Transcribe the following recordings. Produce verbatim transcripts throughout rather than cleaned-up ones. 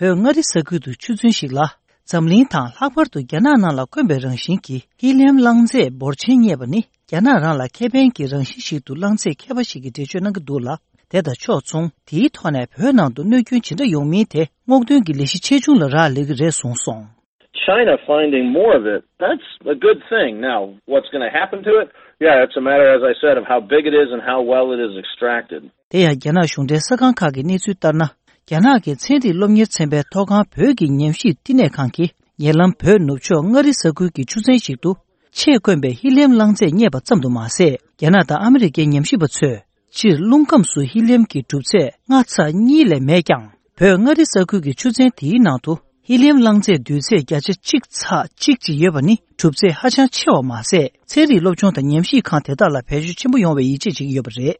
བོད་མངའ་རིས་ས་ཁུལ་དུ་ཆུ་ཚོད་ཞིག་ལ། འཛམ་གླིང་དང་ལྷག་པར་དུ་རྒྱ་ནག་ནང་ལ་དཀོན་པའི་རང་བཞིན་གྱི་ཧི་ལི་ཡམ་རླངས་རྫས་འབོར་ཆེན་རྙེད་པ་ནི། རྒྱ་ནག་རང་ལ་ཁེ་ཕན་གྱི་རང་བཞིན་ཞིག་ཏུ་རླངས་རྫས་མཁས་པ་ཞིག་གིས་འགྲེལ་བརྗོད་གནང་གི་འདུག་ལ། དེ་དང་ཕྱོགས་མཚུངས། དེའི་ཐོག་ནས་བོད་ནང་དུ་གནོད་སྐྱོན་ཇི་འདྲ་ཡོང་མིན་དེ་སྔོག་འདོན་གྱི་ལས་གཞི་ཆེ་ཆུང་ལ་རག་ལས་ཀྱི་རེད་གསུངས་སོང་། China finding more of it, that's a good thing. Now, what's going to happen to it? Yeah, it's a matter, as I said, of how big it is and how well it is extracted. དེ་ཡང་རྒྱ་ནག་གཞུང་འབྲེལ་གསར་ཁང་ཁག་གི་གནས་ཚུལ་ལྟར་ན། རྒྱ་ནག་གི་ཚན་རིག་སློབ་གཉེར་ཚན་པའི་ཐོག་ཁང་བོད་ཀྱི་ཉམས་ཞིབ་བསྟི་གནས་ཁང་གིས་ཉེ་ལམ་བོད་ནུབ་ཕྱོགས་མངའ་རིས་ས་ཁུལ་གྱི་ཆུ་ཚན་ཞིག་ཏུ། ཆེས་དཀོན་པའི་ཧི་ལི་ཡམ་རླངས་རྫས་རྙེད་པ་ཙམ་དུ་མ་ཟད། རྒྱ་ནག་དང་ཨ་མི་རི་ཀའི་ཉམས་ཞིབ་པ་ཚོས་སྤྱིར་རླུང་ཁམས་སུ་ཧི་ལི་ཡམ་གྱི་གྲུབ་ཚད་ལྔ་ཚེག་གཉིས་ལས་མེད་ཀྱང་། བོད་མངའ་རིས་ས་ཁུལ་གྱི་ཆུ་ཚན་དེའི་ནང་དུ་ཧི་ལི་ཡམ་རླངས་རྫས་འདུས་ཚད་བརྒྱ་ཆ་གཅིག་ཚེག་གཅིག་ཅིག་ཡོད་པ་ནི་གྲུབ་ཚད་ཧ་ཅང་ཆེ་བ་མ་ཟད། ཚན་རིག་སློབ་སྦྱོང་དང་ཉམས་ཞིབ་ཁང་དེ་དག་ལ་བེད་སྤྱོད་ཆེན་པོ་ཡོང་བའི་ཡིད་ཆེས་བྱེད་ཀྱི་ཡོད་པ་རེད།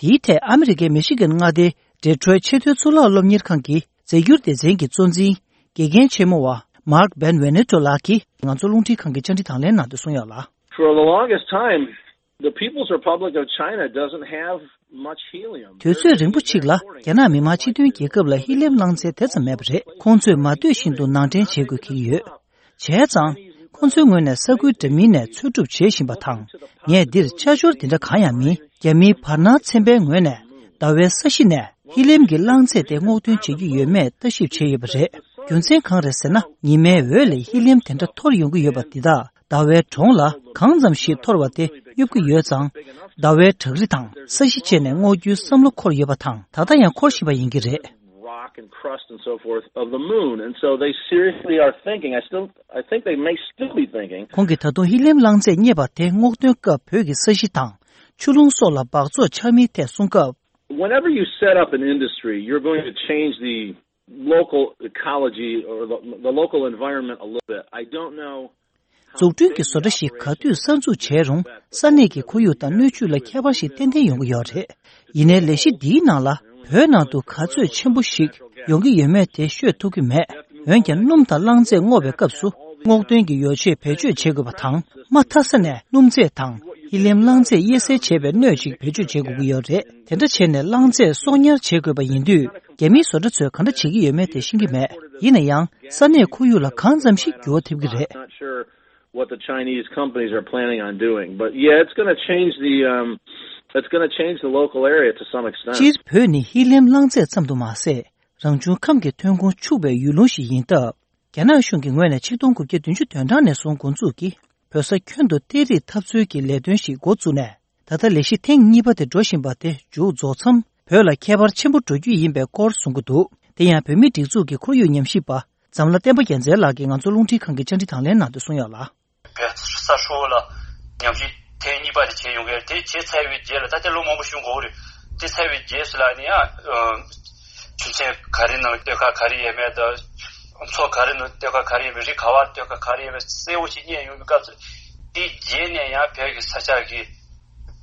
དེའི་ཐད་ཨ་མི་རི་ཀའི་མི་ཤི་གན་མངའ་སྡེའི་ཌེ་ཊོ་རོའི་ཆེས་མཐོའི་གཙུག་ལག་སློབ་གཉེར་ཁང་གི་རྫས་འགྱུར་སྡེ་ཚན་གྱི་གཙོ་འཛིན་དགེ་རྒན་ཆེན་མོ་བ་Mark Ben Venuto་ལགས་ཀྱིས་ང་ཚོ་རླུང་འཕྲིན་ཁང་གི་བཅར་འདྲི་དང་ལེན་ནང་དུ་གསུངས་ཡོད་ལ། For the longest time, the People's Republic of China doesn't have much helium. དུས་ཚོད་རིང་པོ་ཅིག་ལ་རྒྱ་ནག་མི་དམངས་སྤྱི་མཐུན་རྒྱལ་ཁབ་ལ་ཧི་ལི་ཡམ་རླངས་རྫས་དེ་ཙམ་མེད་པ་རེད། ཁོང་ཚོས་མ་འདོད་བཞིན་དུ་ནང་འདྲེན་བྱེད་དགོས་ཀྱི་ཡོད། བྱས་ཙང་། ཁོང་ཚོའི་ངོས་ནས་ས་ཁུལ་འདྲ་མིན་ནས་འཚོལ་སྒྲུབ་བྱེད་བཞིན་པ་དང་། ངས་འདིར་ཆ་འཇོག་འདི་འདྲ་གང་ཡང་མིན། རྒྱ་མིའི་བར་སྣང་ཚན་པའི་ངོས་ནས་ཟླ་བའི་ས་གཞི་ནས་ཧི་ལི་ཡམ་གྱི་རླངས་རྫས་དེ་སྔོག་འདོན་བྱེད་ཀྱི་ཡོད་མེད་ལྟ་ཞིབ་བྱས་ཡོད་པ་རེད། རྒྱུ་མཚན་གང་རེད་ཟེར་ན། ཉི་མའི་འོད་ལས་ཧི་ལི་ཡམ་དེ་འདྲ་འཐོར་ཡོང་གི་ཡོད་པ་འདི་དག་ཟླ་བའི་གྲོང་ལ་གང་ཙམ་ཞིག་འཐོར་བ་དེ་གཡུབ་ཀྱི་ཡོད་ཙང་། ཟླ་བའི་བྲག་རི་དང་ས་གཞི་བཅས་ནས་སྔོག་རྒྱུའི་བསམ་བློ་འཁོར་ཡོད་པ་དང་། ད་ལྟ་ཡང་འཁོར་བཞིན་པ་ཡིན་གྱི་རེད། Rock and crust and so forth of the moon. And so they seriously are thinking, I still, I think they may still be thinking. ཁོང་གིས་ད་དུང་ཧི་ལི་ཡམ་རླངས་རྫས་རྙེད་པ་དེ་སྔོག་འདོན་སྐབས་བོད་ཀྱི་ས་གཞི་དང་ཆུ་ཀླུང་སོགས་ལ་འབག་བཙོག་ཆགས་མིན་ཐད་གསུང་སྐབས། Whenever you set up an industry, you're going to change the local ecology or the, the local environment a little bit. I don't know. འཛུགས་སྐྲུན་གྱི་བཟོ་གྲྭ་ཞིག་ག་དུས་གསར་འཛུགས་བྱས་རུང་། ས་གནས་ཀྱི་ཁོར་ཡུག་དང་སྣོད་བཅུད་ལ་ཁྱད་པར་ཞིག་ཏན་ཏན་ཡོང་གི་ཡོད་རེད། ཡིན་ནའི་ལས་གཞི་འདིའི་ནང་ལ་བོད་ནང་དུ་ག་ཚོད་ཆེན་པོ་ཞིག་ཡོང་གི་ཡོད་མེད་དེ་ཤོད་ཐུབ་ཀྱི་མེད། འོན་ཀྱང་སྣུམ་དང་རླངས་རྫས་སྔོག་པའི་སྐབས་སུ་སྔོག་འདོན་གྱི་ཡོ་བྱད་བེད་སྤྱོད་བྱེད་དགོས་པ་དང་། མ་མཐའ་ས་ནས་སྣུམ་རྫས་དང་ཧི་ལི་ཡམ་རླངས་རྫས་དབྱེ་གསེས་བྱེད་པའི་སྣོད་ཅིག་བེད་སྤྱོད་བྱེད་དགོས་ཀྱི་ཡོད་རེད། དེ་འདྲ་བྱས་ནས་རླངས་རྫས་གསོག་ཉར་བྱེད་དགོས་པ་ཡིན་དུས། རྒྱ་མིའི་བཟོ་གྲྭ་ཚོས་ག་འདྲ་བྱེད་ཀྱི་ཡོད་མེད་དེ་ཤེས་ཀྱི་མེད། ཡིན་ན་ཡང་ས་གནས་ཁོར་ཡུག་ལ་གང་ཙམ་ཞིག་འགྱུར་བ་ཐེབས་ཀྱི་རེད། Not sure what the Chinese companies are planning on doing, but yeah, it's going to change the, um, it's going to change the local area to some extent. སྤྱིར་བོད་ནི་ཧི་ལི་ཡམ་རླངས་རྫས་ཙམ་དུ་མ་ཟད། རང་བྱུང་ཁམས་ཀྱི་ཐོན་ཁུངས་ཕྱུག་པའི་ཡུལ་ལུང་ཞིག་ཡིན་སྟབས། རྒྱ་ནག་གཞུང་གི་ངོས་ནས་ཆིག་སྟོང་དགུ་བརྒྱ་བདུན་ཅུ་དོན་གྲངས་ནས་བཟུང་འགོ་འཛུགས་ཀྱིས་བོད་ས་ཁྱོན་དུ་གཏེར་རིགས་འཐབ་རྩོད་ཀྱི་ལས་དོན་ཞིག་འགོ་བཙུགས་ནས། ད་ལྟ་ལས་གཞི་ཐེངས་གཉིས་པ་དེ་འགྲོ་བཞིན་པ་དེ་མཇུག་རྫོགས་མཚམས། བོད་ལ་ཁྱད་པར་ཆེན་པོ་འགྲོ་རྒྱུ་ཡིན་པའི་སྐོར་གསུང་གི་འདུག་དེ་ཡང་བོད་མིའི་སྒྲིག་འཛུགས་ཀྱི་ཁོར་ཡུག་ཉམས་ཞིབ་པ་འཛམ་ལྷ་བསྟན་པ་རྒྱལ་མཚན་ལགས་ཀྱིས་ང་ཚོ་རླུང་འཕྲིན་ཁང་གི་བཅར་འདྲི་དང་ལེན་ནང་དུ་གསུངས་ཡོད་ལ། བོད་ས་ཧྲིལ་པོ་ལ་ཉམས་ཞིབ་ཐེངས་གཉིས་པ་དེ་བྱས་ཡོང་གི་རེད། དེ་བྱས་ཚར་བའི་རྗེས་ལ་ད་ལྟ་ལོ་མང་པོ་བཞུགས་དགོས་རེད། དེ་ཚར་བའི་རྗེས་སུ་ལ་ནི་ཡང་ཆུ་ཚན་ག་རེ་ནང་ལ་གཏེར་ཁ་ག་རེ་ཡོད་མེད་དང་། མཚོ་ག་རེ་ནང་གཏེར་ཁ་ག་རེ་ཡོད་མེད། རི་ག་བར་གཏེར་ཁ་ག་རེ་ཡོད་མེད་གསལ་བོ་ཞིག་རྙེད་ཡོང་བའི་སྐབས་སུ། དེའི་རྗེས་ནས་ཡང་བོད་ཀྱི་ས་ཆ་གི་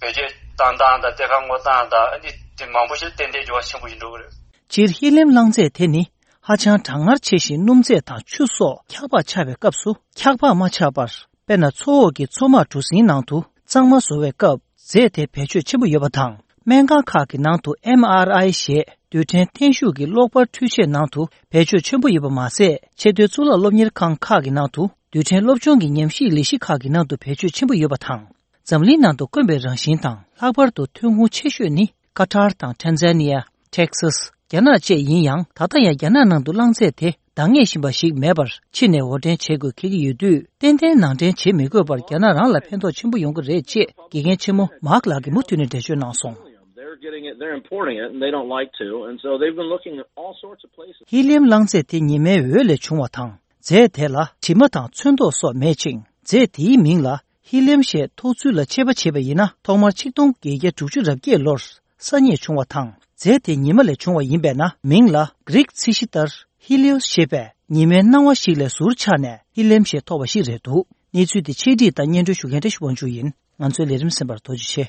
བེད་སྤྱོད་བཏང་སྟངས་དང་གཏེར་ཁ་སྔོག་སྟངས་དང་ཨ་ནི་དེ་མང་པོ་ཞིག་ཏན་ཏན་འགྱུར་བ་ཆེན་པོ་ཞིག་འགྲོ་གི་རེད། སྤྱིར་ཧི་ལི་ཡམ་རླངས་རྫས་དེ་ནི་ཧ་ཅང་གྲང་ངར་ཆེ་ཞིང་སྣུམ་རྫས་དང་ཆུ་སོགས་འཁྱགས་བག་ཆགས་པའི་སྐབས་སུ་འཁྱགས་བག་མ་ཆགས་པར། དཔེར་ན་མཚོ་འོག་གི་མཚོ་དམག་གྲུ་གཟིངས་ནང་དུ་གཙང་མ་བཟོ་བའི་སྐབས་རྫས་དེ་བེད་སྤྱོད་ཆེན་པོ་ཡོད་པ་དང་། སྨན་ཁང་ཁག་གི་ནང་དུ་ཨེམ་ཨར་ཨའི་ཞེས་རྡུལ་ཕྲན་བརྟན་ཤུགས་ཀྱི་གློག་པར་འཕྲུལ་ཆས་ནང་དུ་བེད་སྤྱོད་ཆེན་པོ་ཡོད་པ་མ་ཟད། ཆེས་མཐོའི་གཙུག་ལག་སློབ་གཉེར་ཁང་ཁག་གི་ནང་དུ་རྡུལ་ཕྲན་སློབ་སྦྱོང་གི་ཉམས་ཞིབ་ལས་གཞི་ཁག་གི་ནང་དུ་བེད་སྤྱོད་ཆེན་པོ་ཡོད་པ་དང་། འཛམ་གླིང་ནང་དུ་དཀོན་པའི་རང་བཞིན་དང་ལྷག་པར་དུ་ཐོན་ཁུངས་ཆེ་ཤོས་ནི་ཀ་ཏར་དང་ཊན་ཛ་ནི་ཡ། ཊེག་སཱས། རྒྱ་ནག་བཅས་ཡིན་ཡང་། ད་ལྟ་ཡང་རྒྱ་ནག་ནང་དུ་རླངས་རྫས་དེ་འདང་ངེས་བཞིན་པ་ཞིག་མེད་པར་ཕྱི་ནས་དབོར་འདྲེན་བྱེད་དགོས་འཁེལ་གྱི་ཡོད་དུས། ཏན་ཏན་ནང་འདྲེན་བྱེད་མི་དགོས་པར་རྒྱ་ནག་རང་ལ་ཕན་ཐོགས་ཆེན་པོ་ཡོང་གི་རེད་ཅེས་དགེ་རྒན་ཆེན་མོ་མཱག་ལགས་ཀྱིས་མུ་མཐུད་ནས་འགྲེལ་བརྗོད་གནང་སོང་། They're getting it, they're importing it, and they don't like to, and so they've been looking at all sorts of places. ཧི་ལི་ཡམ་རླངས་རྫས་དེ་ཉི་མའི་འོད་ལས་བྱུང་བ་དང་། རྫས་དེ་ལ་དྲི་མ་དང་ཚོན་མདོག་སོགས་མེད་ཅིང་། རྫས་དེའི་མིང་ལ་ཧི་ལི་ཡམ་ཞེས་ཐོགས་ཚུལ་ལ་དཔྱད་པ་བྱས་པ་ཡིན་ན། ཐོག་མར་ཆིག་སྟོང་བརྒྱད་བརྒྱ་དྲུག་ཅུ་རེ་བརྒྱད་ལོར་ས་རྙེད་བྱུང་བ་དང་། རྫས་དེ་ཉི་མ་ལས་བྱུང་བ་ཡིན་པས་ན། མིང་ལ་གྷི་རིག་ཚིག་གཞི་ལྟར་ཧི་ལི་ཡོ་སི་ཞེས་པས་ཉི་མའི་སྣང་བ་ཞིག་ལས་ཟུར་ཆགས་ནས་ཧི་ལི་ཡམ་ཞེས་ཐོགས་པ་ཞིག་རེད་འདུག་གནས་ཚུལ་དེ་ཆེད་སྒྲིག་དང་སྙན་སྒྲོན་ཞུ་མཁན་བཀྲ་ཤིས་དབང་ཕྱུག་ཡིན། ང་ཚོའི་ལས་རིམ་གསན་པར་ཐུགས་རྗེ་ཆེ།